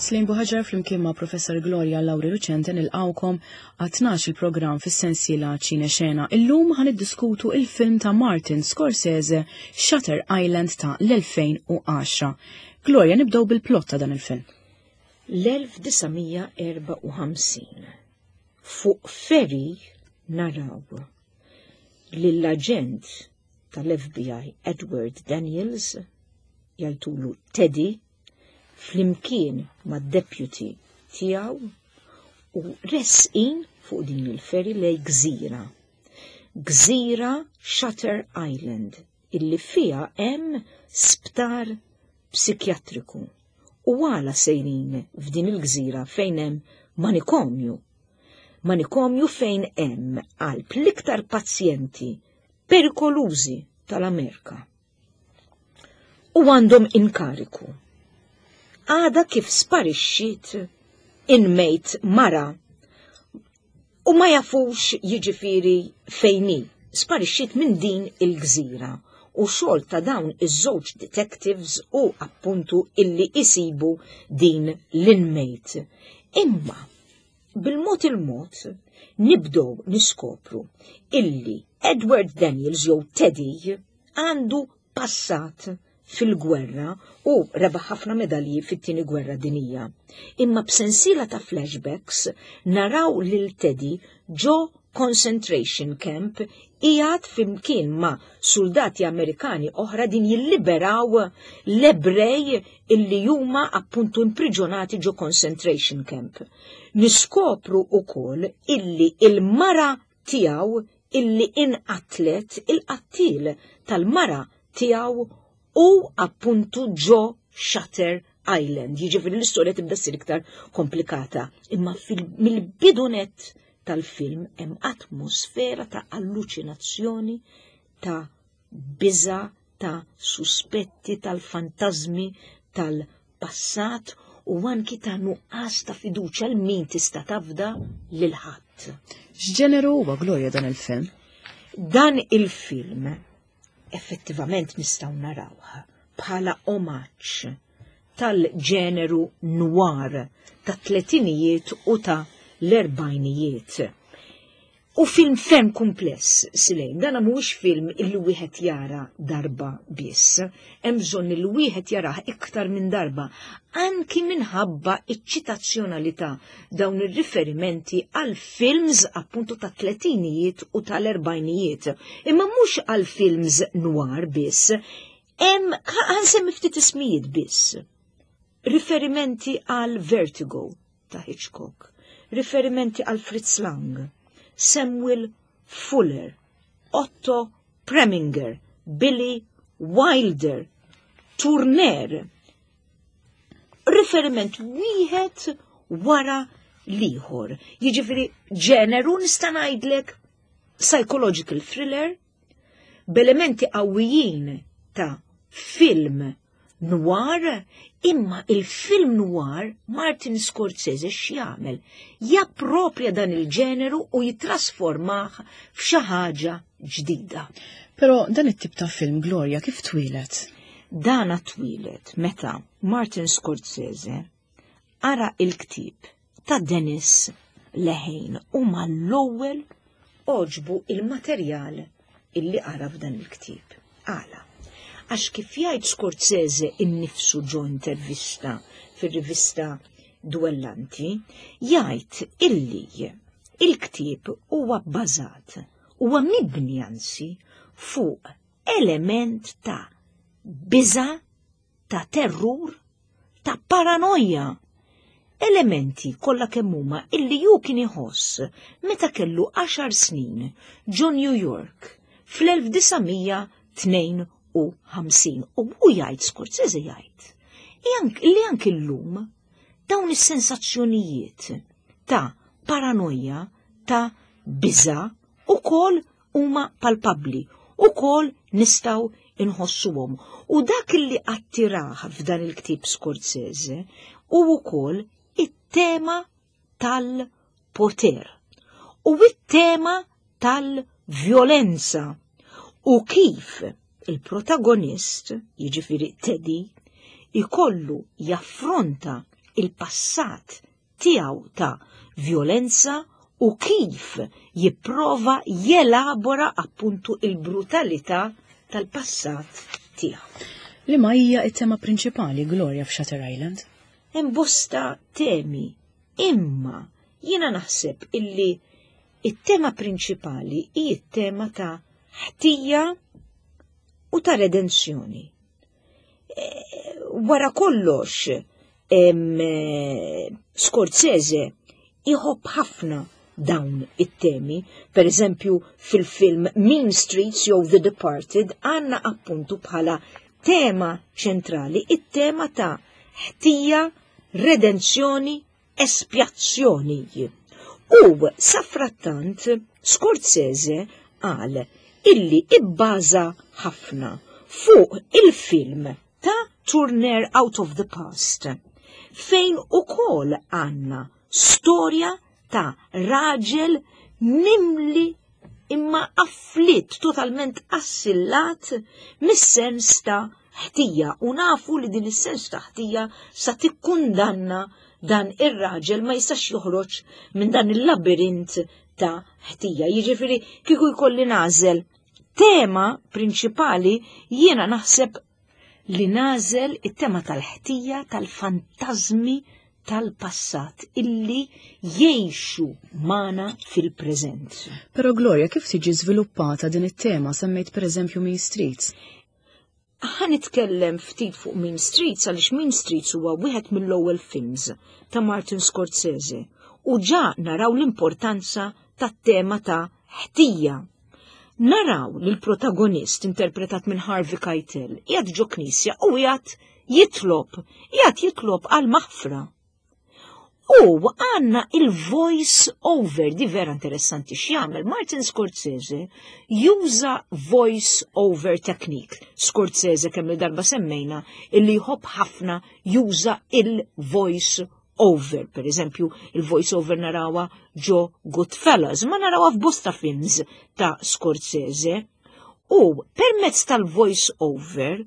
Slejn Buħaġar flimkien ma' Professor Gloria Lauri Lucente nilqawkom għat-12 il-programm fis-sensiela Ċine Xena. Illum ħan iddiskutu il-film ta' Martin Scorsese Shutter Island ta' l-2010. Gloria, nibdew bil-plot ta' dan il-film. L-1954 fuq ferry naraw lill-aġent tal-FBI Edward Daniels jgħidulu Teddy flimkien mad-deputy tiegħu u resqin fuq din il-ferry lej gżira. Gżira Shutter Island illi fiha hemm sptar psikjatriku. U għala sejrin f'din il-gżira fejn hemm manikomju. Manikomju fejn hemm qalb l-iktar pazjenti perikolużi tal-Amerika. U għandhom inkariku. Għada kif sparixxiet inmate mara u ma jafux jiġifieri fejn hi. Sparixxiet minn din il-gżira u xogħol ta' dawn iż-żewġ detectives u appuntu illi isibu din l-inmate. Imma bil-mod il-mod nibdew niskopru illi Edward Daniels jew Teddy għandu passat fil-gwerra u rebaħ ħafna medalji fit-tieni gwerra dinija. Imma b'sensiela ta' flashbacks naraw lil Teddy ġo concentration camp qiegħed flimkien ma' soldati Amerikani oħra din jilliberaw l-Ebrej illi huma appuntu impriġonati ġo concentration camp. Niskopru ukoll illi il-mara tiegħu illi inqatlet il-qattil tal-mara tiegħu u appuntu ġo Shutter Island. Jiġifieri l-istorja tibda ssir iktar komplikata. Imma mill-bidunet tal-film hemm atmosfera ta' alluċinazzjoni, ta' biża, ta' suspetti, tal-fantażmi, tal-passat u anki ta' nuqqas ta' fiduċja l min tista' tafda lil ħadd. X'ġeneru huwa Gloria dan il-film? Dan il-film effettivament nistgħu narawh bħala omaġġ tal-ġeneru noir tat-tletinijiet u ta' l-erbajnijiet. U film ferm kumpless, Silejn, dan mhuwiex film illi wieħed jara darba biss. Hemm bżonn li wieħed jarah iktar minn darba, anki minħabba iċ-ċitazzjonalità dawn ir-riferimenti għal films appuntu ta' tletinijiet u tal-erbajnijiet. Imma mhux għal films noir biss, hemm ħansemmi ftit ismijiet biss. Riferimenti għal Vertigo ta' Hitchcock, riferimenti għal Fritz Lang, Samuel Fuller, Otto Preminger, Billy Wilder, Tourner, riferiment wieħed wara l-ieħor. Jiġifieri ġeneru nista' ngħidlek psychological thriller b'elementi qawwijin ta' film noir, imma il-film noir Martin Scorsese x'jagħmel? Japproprja dan il-ġeneru u jitrasformah f'xi ħaġa ġdida. Però dan it-tip ta' film Gloria kif twieled? Dana twieled meta Martin Scorsese qara il-ktieb ta' Dennis Lehane u mal-ewwel għoġbu il-materjal illi qara f'dan il-ktieb. Għala? Għax kif jgħid Scorsese innifsu ġo intervista fir-rivista Duellanti, jgħid illi il-ktieb huwa bbażat, huwa mibni anzi fuq element ta' biża' ta' terrur, ta' paranoja. Elementi kollha kemm huma illi hu kien iħoss meta kellu għaxar snin ġo New York fl-1952 u hu jgħid Scorsese jgħid li anki llum dawn is-sensazzjonijiet ta' paranoja, ta' biża' ukoll huma palpabbli, ukoll nistgħu inħossuhom. U dak li attirah f'dan il-ktieb Scorsese hu wkoll it-tema tal-poter u it-tema tal-vjolenza u kif il-protagonist, jiġifieri Teddy, ikollu jaffronta il-passat tiegħu ta' vjolenza u kif jipprova jelabora appuntu il-brutalità tal-passat tiegħu. Liema hija t-tema prinċipali, Gloria, f'Shutter Island? Hemm bosta temi, imma jiena naħseb illi it-tema prinċipali hi t-tema ta' ħtija u ta' redenzjoni. Wara kollox, Scorsese iħobb ħafna dawn it-temi. Per eżempju, fil-film Mean Streets jew The Departed għandna appuntu bħala tema ċentrali it-tema ta' ħtija, redenzjoni, espjazzjoni. U safrattant Scorsese qal illi ibbaża ħafna fuq il-film ta' Tourneur Out of the Past, fejn ukoll għandna storja ta' raġel mimli imma afflitt, totalment assillat mis-sens ta' ħtija, u nafu li din is-sens ta' ħtija sa tikkundanna dan ir-raġel ma jistax joħroġ minn dan il-labirint ta' ħtija. Jiġifieri kieku jkolli nagħżel tema prinċipali, jiena naħseb li nagħżel it-tema tal-ħtija, tal-fantażmi tal-passat illi jgħixu magħna fil-preżent. Però Gloria, kif tiġi żviluppata din it-tema? Semmejt pereżempju Mean Streets. Ħa nitkellem ftit fuq Mean Streets għaliex Mean Streets huwa wieħed mill-ewwel films ta' Martin Scorsese u ġa naraw l-importanza tat-tema ta' ħtija. Naraw li l-protagonist interpretat minn Harvey Keitel qiegħed ġo knisja u qiegħed jitlob, qiegħed jitlob għal maħfra. U għandna il-voice over, di vera interessanti x'jagħmel Martin Scorsese, juża voice over technique. Scorsese kemm il-darba semmejna illi jħobb ħafna juża il-voice over. Per eżempju, il-voice over narawa ġo Goodfellas, ma narawa f'bosta films ta' Scorsese. U permezz tal-voice over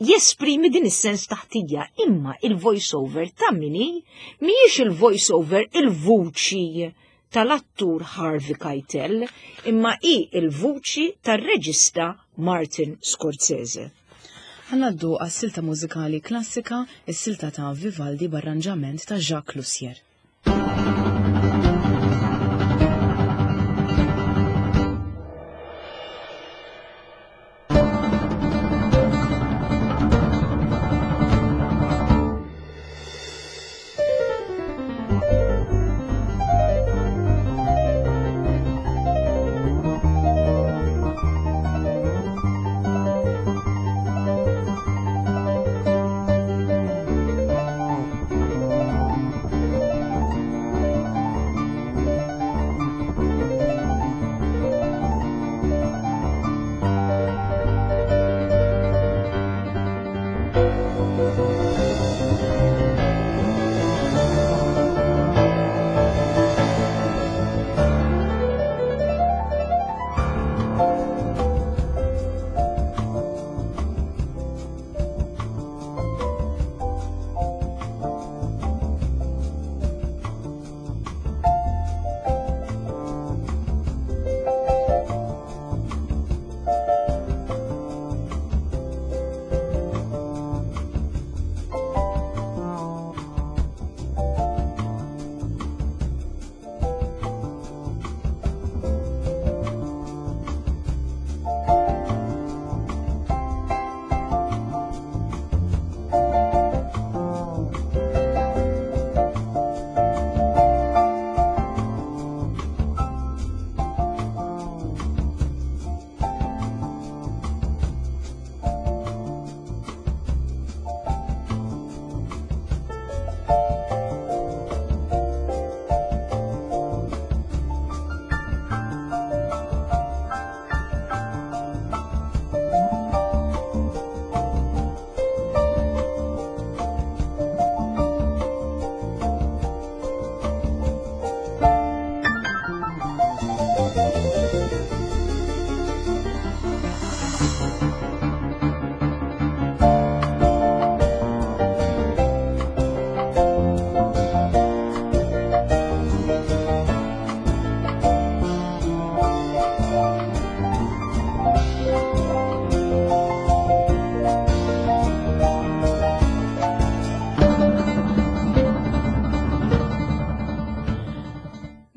jesprimi din is-sens ta' ħtija, imma il-voice over ta' mini mhijiex il-voice over il-vuċi tal-attur Harvey Keitel, imma hi il-vuċi tar-reġista Martin Scorsese. Ħanaddu għas-silta mużikali klassika, is-silta ta' Vivaldi b'arranġament ta' Jacques Lussier.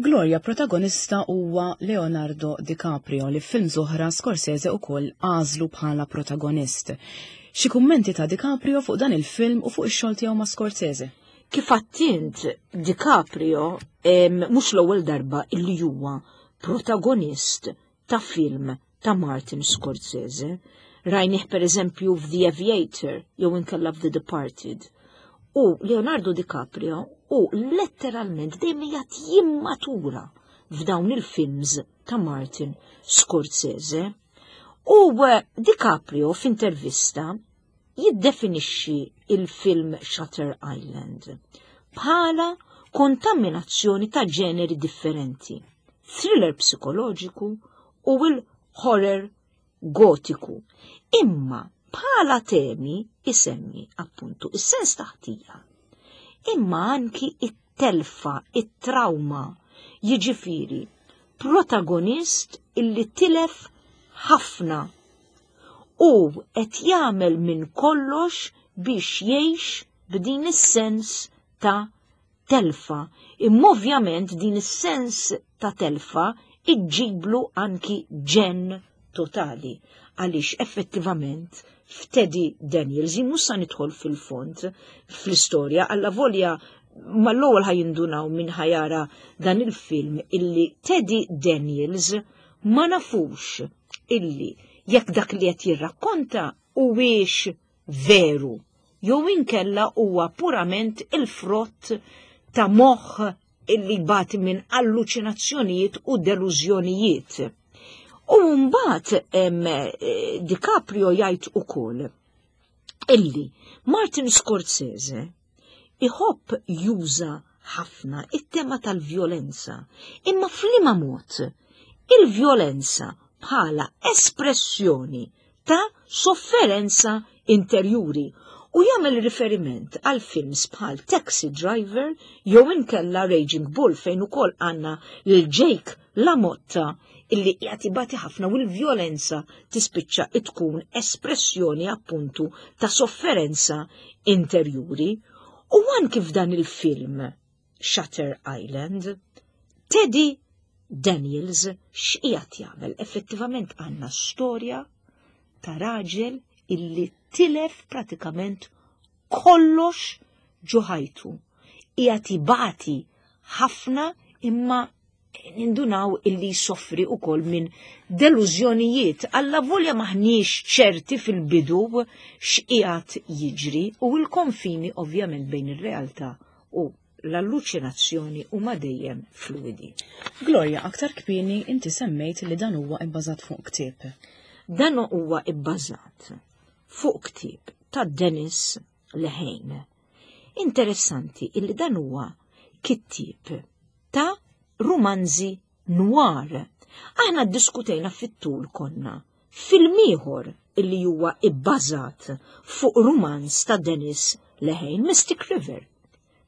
Gloria protagonista huwa Leonardo DiCaprio li f'films oħra Scorsese ukoll għażlu bħala protagonist. Xi kummenti ta' DiCaprio fuq dan il-film u fuq ix-xogħol tiegħu ma' Scorsese? Kif għattint, DiCaprio mhux l-ewwel darba illi huwa protagonist ta' film ta' Martin Scorsese. Rajnih per eżempju f'The Aviator jew inkella f'The Departed. U Leonardo DiCaprio u letteralment dejjem qiegħed jimmatura f'dawn il-films ta' Martin Scorsese. U eh, DiCaprio f'intervista jiddefinixxi il-film Shutter Island bħala kontaminazzjoni ta' ġeneri differenti, thriller psikoloġiku u l-horror gotiku. Imma bħala temi isemmi appuntu is-sens ta' ħtija. Imma anki it-telfa, it-trauma, jiġifieri protagonist illi tilef ħafna u qed jagħmel minn kollox biex jgħix b'din is-sens ta' telfa. Imma ovvjament din is-sens ta' telfa iġġiblu anki ġenn totali għaliex effettivament f'Teddy Daniels, jien mhux sa nidħol fil-fond fl-istorja, alla volja mal-ewwel ħajindunaw minn ħajara dan il-film illi Teddy Daniels ma nafux illi jekk dak li qed jirrakkonta huwiex veru jew inkella huwa purament il-frott ta' moħħ illi jbati minn alluċinazzjonijiet u delużjonijiet. U mbagħad eh, DiCaprio jgħid ukoll illi Martin Scorsese iħobb juża ħafna it-tema tal-vjolenza, imma f'liema mod il-vjolenza bħala espressjoni ta' sofferenza interjuri u jagħmel riferiment għal films bħal Taxi Driver jew inkella Raging Bull fejn ukoll għandna lil Jake LaMotta illi qiegħed ibati ħafna u l-vjolenza tispiċċa tkun espressjoni appuntu ta' sofferenza interjuri. U anki f'dan il-film Shutter Island, Teddy Daniels x'qiegħed jagħmel? Effettivament għandna storja ta' raġel illi tilef pratikament kollox ġo ħajtu. Qiegħed ibati ħafna imma nindunaw illi jsofri ukoll minn delużjonijiet alla volja maħniex ċerti fil-bidu x'qiegħed jiġri u l-konfini ovvjament bejn ir-realtà u l-alluċinazzjoni huma dejjem fluidi. Gloria, aktar kmieni inti semmejt li dan huwa ibbażat fuq ktieb. Dan huwa ibbażat fuq ktieb ta' Dennis Lehane. Interessanti illi dan huwa kittieb ta' rumanzi noir. Aħna ddiskutejna fit-tul konna film ieħor illi huwa ibbażat fuq rumanz ta' Dennis Lehane, Mystic River.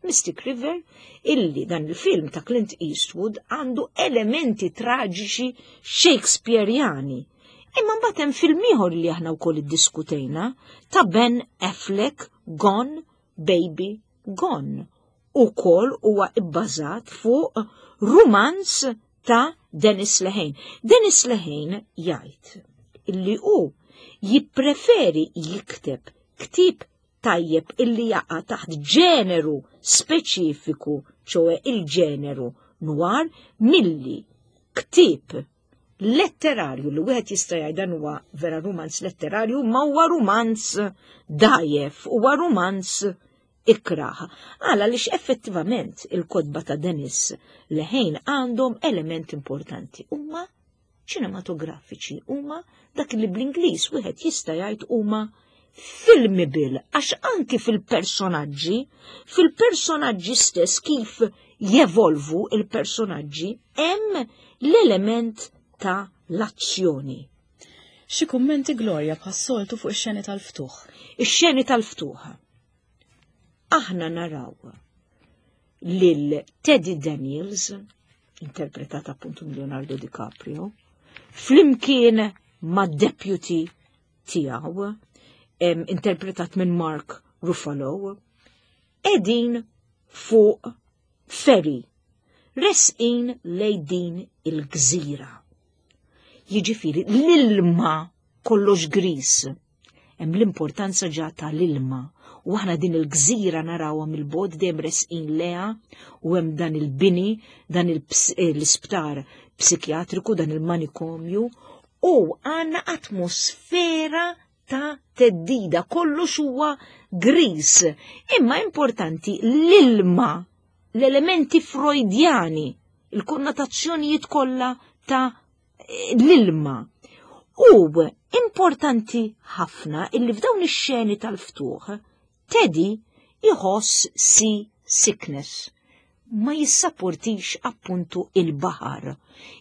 Mystic River illi dan il-film ta' Clint Eastwood għandu elementi traġiċi Shakespeareani. Imma mbagħad hemm film ieħor li aħna wkoll iddiskutejna ta' Ben Affleck Gone Baby Gone. Ukoll huwa ibbażat fuq rumanz ta' Dennis Lehane. Dennis Lehane jgħid illi hu jippreferi jikteb ktieb tajjeb illi jaqa' taħt ġeneru speċifiku, ċoe il-ġeneru noir, milli ktieb letterarju li wieħed jista' jgħid dan huwa vera rumanz letterarju, ma huwa rumanz dajef, huwa rumanz ikrah. Għala għaliex effettivament il-kotba ta' Dennis Lehane għandhom element importanti. Huma ċinematografiċi, huma dak li bl-Ingliż wieħed jista' jgħid huma filmable, għax anki fil-personaġġi, fil-personaġġi stess kif jevolvu il-personaġġi, hemm l-element ta' l-azzjoni. Xi kummenti Gloria bħas-soltu fuq ix-xeni tal-ftuħ? Ix-xeni tal-ftuħ. Aħna naraw lil Teddy Daniels, interpretat appuntu minn Leonardo DiCaprio, flimkien ma' deputy tiegħu, interpretat minn Mark Ruffalo, edin fuq ferry. Resqin lejn din il-gżira. Jiġifieri l-ilma kollox gris. Hemm l-importanza ġa tal-ilma u aħna din il-gżira narawha mill-bogħod dejjem resqin leha u hemm dan il-bini, dan l-isptar psikjatriku, dan il-manikomju u għandna atmosfera ta' teddida, kollox huwa gris. Imma importanti l-ilma, l-elementi Freudjani, il-konnotazzjonijiet kollha ta' l-ilma. U importanti ħafna illi f'dawn ix-xeni tal-ftuħ Teddy iħoss sea sickness ma jissapportix appuntu il-baħar.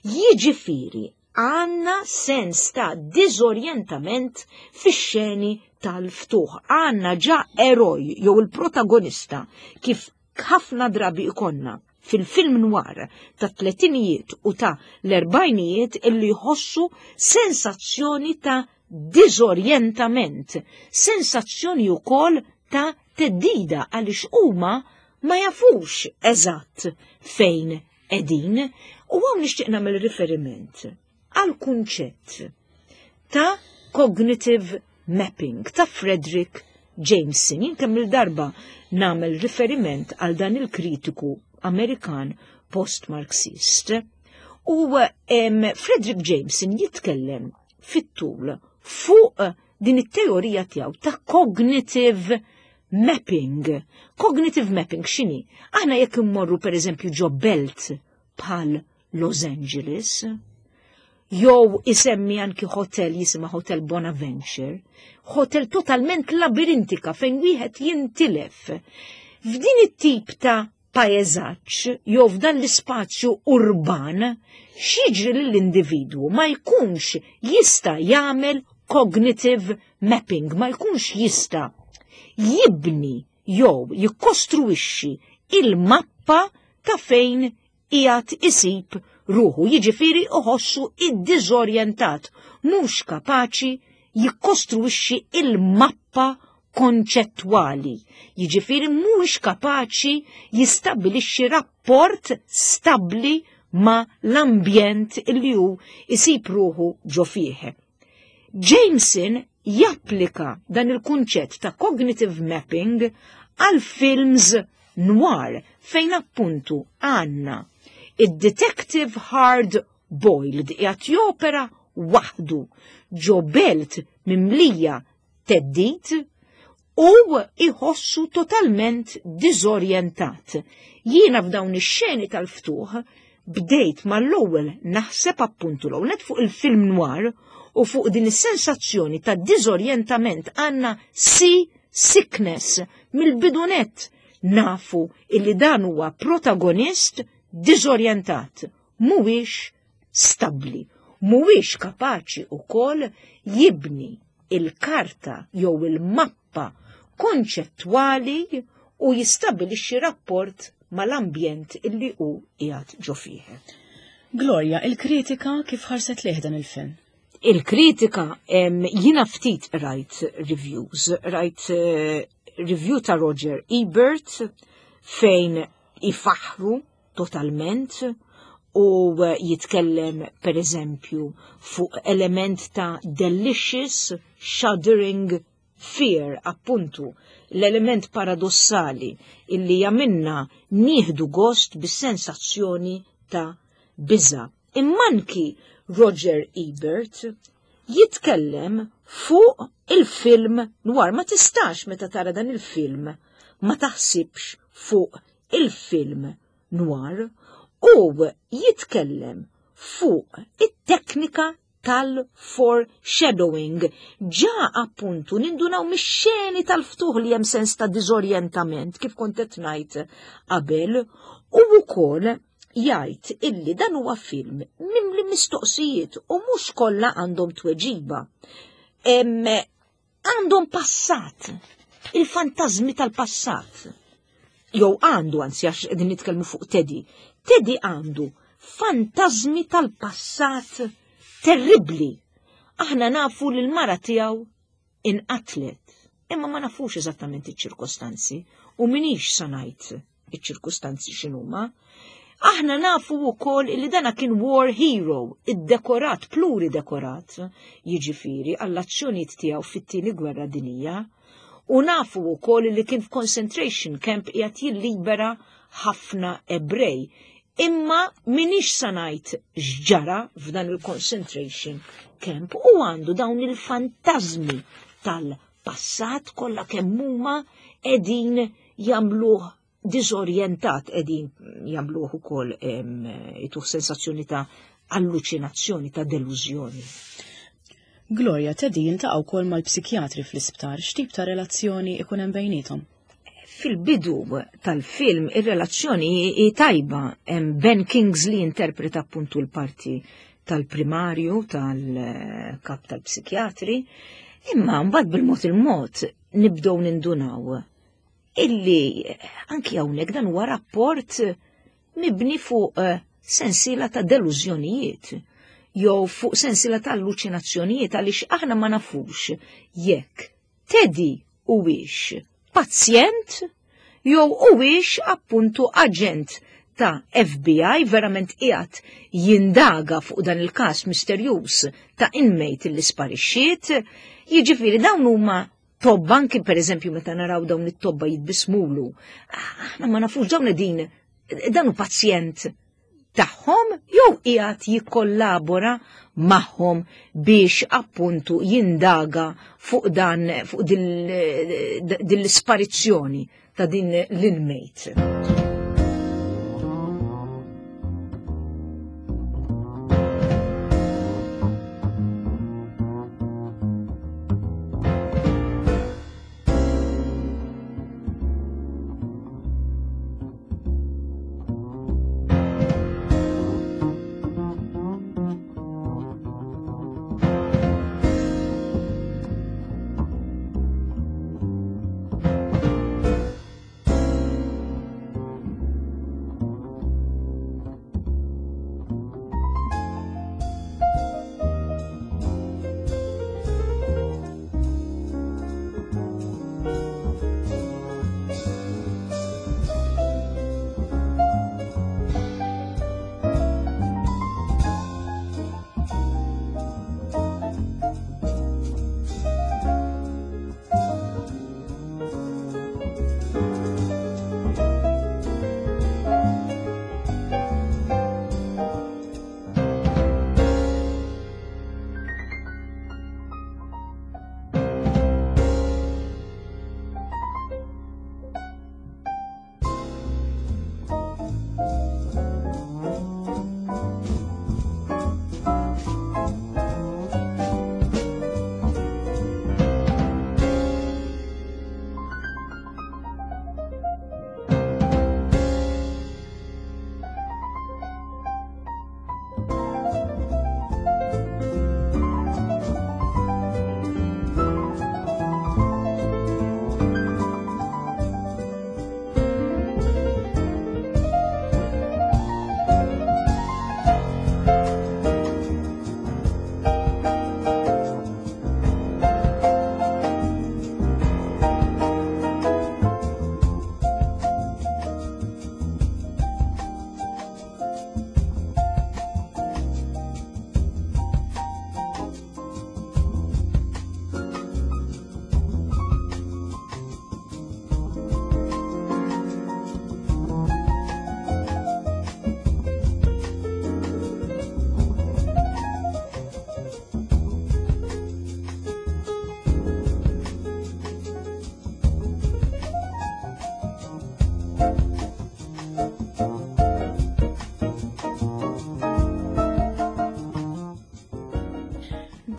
Jiġifieri għandna sens ta' diżorjentament fix-xeni tal-ftuħ. Għandna ġa eroj jew il-protagonista kif ħafna drabi ikonna fil-film noir ta' tletinijiet u ta' l-erbajnijiet illi jħossu sensazzjoni ta' diżorjentament, sensazzjoni wkoll ta' theddida għaliex huma ma jafux eżatt fejn qegħdin u hawn nixtieq nagħmel riferiment għal kunċett ta' cognitive mapping ta' Frederick Jameson. Jien kemm il-darba nagħmel riferiment għal dan il-kritiku Amerikan post-Marxist. U Frederick Jameson jitkellem fit-tul fuq din it-teorija tiegħu ta' cognitive mapping. Cognitive mapping x'inhi? Aħna jekk immorru pereżempju ġo belt bħal Los Angeles, jew isemmi anki hotel jisimha Hotel Bonaventure, hotel totalment labirintika fejn wieħed jintilef. F'din it-tip ta' paeżaġġ jew f'dan l-ispazju urban, x'jiġri lill-individwu ma jkunx jista' jagħmel cognitive mapping, ma jkunx jista' jibni jew jikkostruixxi il-mappa ta' fejn qiegħed isib ruħu, jiġifieri iħossu iddiżorjentat, mhux kapaċi jikkostruixxi il-mappa konċettwali, jiġifieri mhuwiex kapaċi jistabbilixxi rapport stabbli ma' l-ambjent li hu isib ruħu ġo fih. Jameson japplika dan il-kunċett ta' cognitive mapping għal films noir fejn appuntu għandna id-detective hard boiled qiegħed jopera waħdu ġo belt mimlija theddid u iħossu totalment diżorjentat. Jiena f'dawn ix-xeni tal-ftuħ bdejt mal-ewwel naħseb appuntu l fuq il-film noir u fuq din is-sensazzjoni ta' diżorjentament għandna sea sickness mill-bidunet nafu illi dan huwa protagonist diżorjentat, mhuwiex stabbli, mhuwiex kapaċi wkoll jibni il-karta jew il-mappa konċettwali u jistabilixxi rapport mal-ambjent illi hu qiegħed ġo fih. Gloria, il-kritika kif ħarset lejh dan il-film? Il-kritika, jiena ftit rajt reviews, rajt review ta' Roger Ebert fejn ifaħru totalment u jitkellem per eżempju fuq element ta' delicious shuddering fear, appuntu l-element paradossali illi jagħmilna nieħdu gost bis-sensazzjoni ta' biża'. Immanki Roger Ebert jitkellem fuq il-film noir. Ma tistax meta tara dan il-film ma taħsibx fuq il-film noir u jitkellem fuq it-teknika tal-foreshadowing. Ġa appuntu nindunaw mix-xeni tal-ftuħ li hemm sens ta' diżorjentament kif kont qed ngħid qabel u wkoll jgħid illi dan huwa film mimli mistoqsijiet u mhux kollha għandhom tweġiba. Għandhom passat, il-fantażmi tal-passat. Jew għandu, anzi għax qegħdin nitkellmu fuq Teddy. Teddy għandu fantażmi tal-passat terribbli. Aħna nafu li l-mara tiegħu inqatlet, imma ma nafux eżattament iċ-ċirkostanzi u minix sa ngħid iċ-ċirkustanzi x'inhuma. Aħna nafu wkoll li dana kien war hero, iddekorat, pluridekorat, jiġifieri għall-azzjonijiet tiegħu fit-tieni gwerra dinija. U nafu wkoll li kien f'concentration camp qiegħed jillibera ħafna Ebrej. Imma minix sa ngħid x'ġara f'dan il-concentration camp u għandu dawn il-fantażmi tal-passat kollha kemm huma qegħdin jagħmluh diżorjentat qegħdin jagħmluh ukoll ituh sensazzjoni ta' alluċinazzjoni, ta' delużjoni. Gloria Teddy jiltaqa' wkoll mal-psikjatri fl-isptar, x'tip ta' relazzjoni ikun hemm bejniethom? Fil-bidu tal-film ir-relazzjoni hi tajba, hemm Ben Kingsley interpreta appuntu l-parti tal-primarju tal-kap tal-psikjatri, imma mbagħad bil-mod il-mod nibdew nindunaw illi anki hawnhekk dan huwa rapport mibni fuq eh, sensiela ta' delużjonijiet jew fuq sensiela ta' alluċinazzjonijiet għaliex aħna ma nafux jekk Teddy huwiex pazjent jew huwiex appuntu aġent ta' FBI verament qiegħed jindaga fuq dan il-każ misterjuż ta' inmate li sparixxiet, jiġifieri dawn huma tobba anki pereżempju meta naraw dawn it-tobba jitbismulu. Aħna ma nafux dawn din dan hu pazjent tagħhom jew qiegħed jikkollabora magħhom biex appuntu jindaga fuq dan fuq din l-isparizzjoni ta' din l-inmate.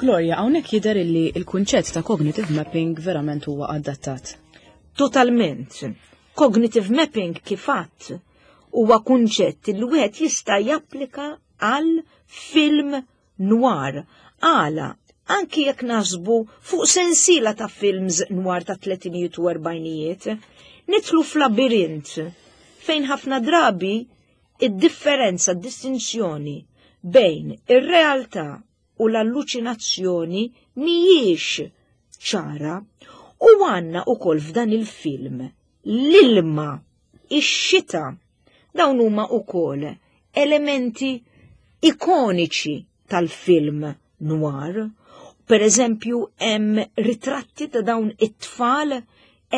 Gloria, hawnhekk jidher illi l-kunċett ta' cognitive mapping verament huwa adattat. Totalment. Cognitive mapping kif għadt huwa kunċett li wieħed jista' japplika għal film noir. Għala, anki jekk naħsbu fuq sensiela ta' films noir ta' tletinijiet u erbajnijiet, nidħlu f'labirint fejn ħafna drabi id-differenza, d-distinzjoni bejn ir-realtà u l-alluċinazzjoni mhijiex ċara. U għandna ukoll f'dan il-film l-ilma, ix-xita. Dawn huma wkoll elementi ikoniċi tal-film noir. Per eżempju, hemm ritratti ta' dawn it-tfal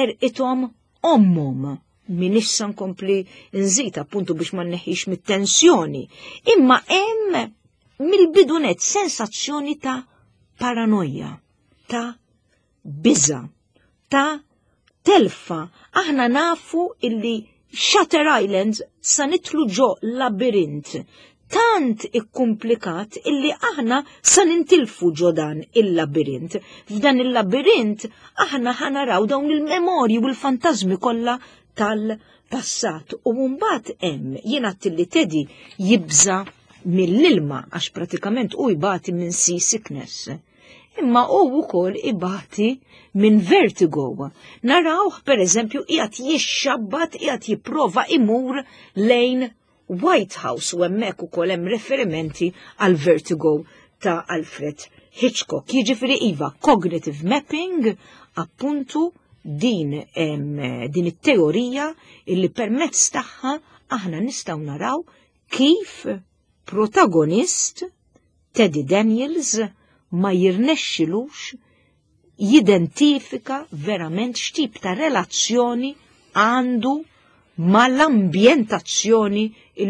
erqithom ommhom minix sa nkompli nżid appuntu biex ma nneħħix mit-tensjoni. Imma hemm mill-bidunet sensazzjoni ta' paranoja, ta' biża, ta' telfa. Aħna nafu illi Shutter Island sa nitlu ġo labirint tant ikkumplikat illi aħna sa nintilfu ġo dan il-labirint. F'dan il-labirint aħna ħanaraw dawn il-memorji u l-fantażmi kollha tal-passat. U mbagħad hemm jiena li Teddy jibża mill-ilma għax pratikament u jbati minn sea sickness. Imma u wkoll ibati minn vertigo. Narawh per eżempju qiegħed jixxabbat qiegħed jipprova imur lejn White House u hemmhekk ukoll hemm referimenti għal vertigo ta' Alfred Hitchcock. Jiġifieri iva, cognitive mapping appuntu din din it-teorija illi permezz tagħha aħna nistgħu naraw kif protagonist Teddy Daniels ma jirnexxilux jidentifika verament x'tip ta' relazzjoni għandu mal-ambjentazzjoni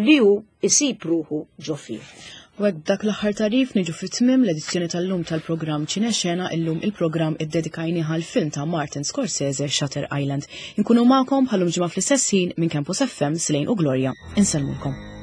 li hu isib ruħu ġo fih. U hekk b'dak l-aħħar tagħrif niġu fi tmiem l-edizzjoni tal-lum tal-programm Ċinexena illum il-programm iddedikajnih għall-film ta' Martin Scorsese Shutter Island. Inkunu magħkom bħal-lum ġimgħa fl-istess ħin minn Campus FM Slane u Gloria. Insellmulkom.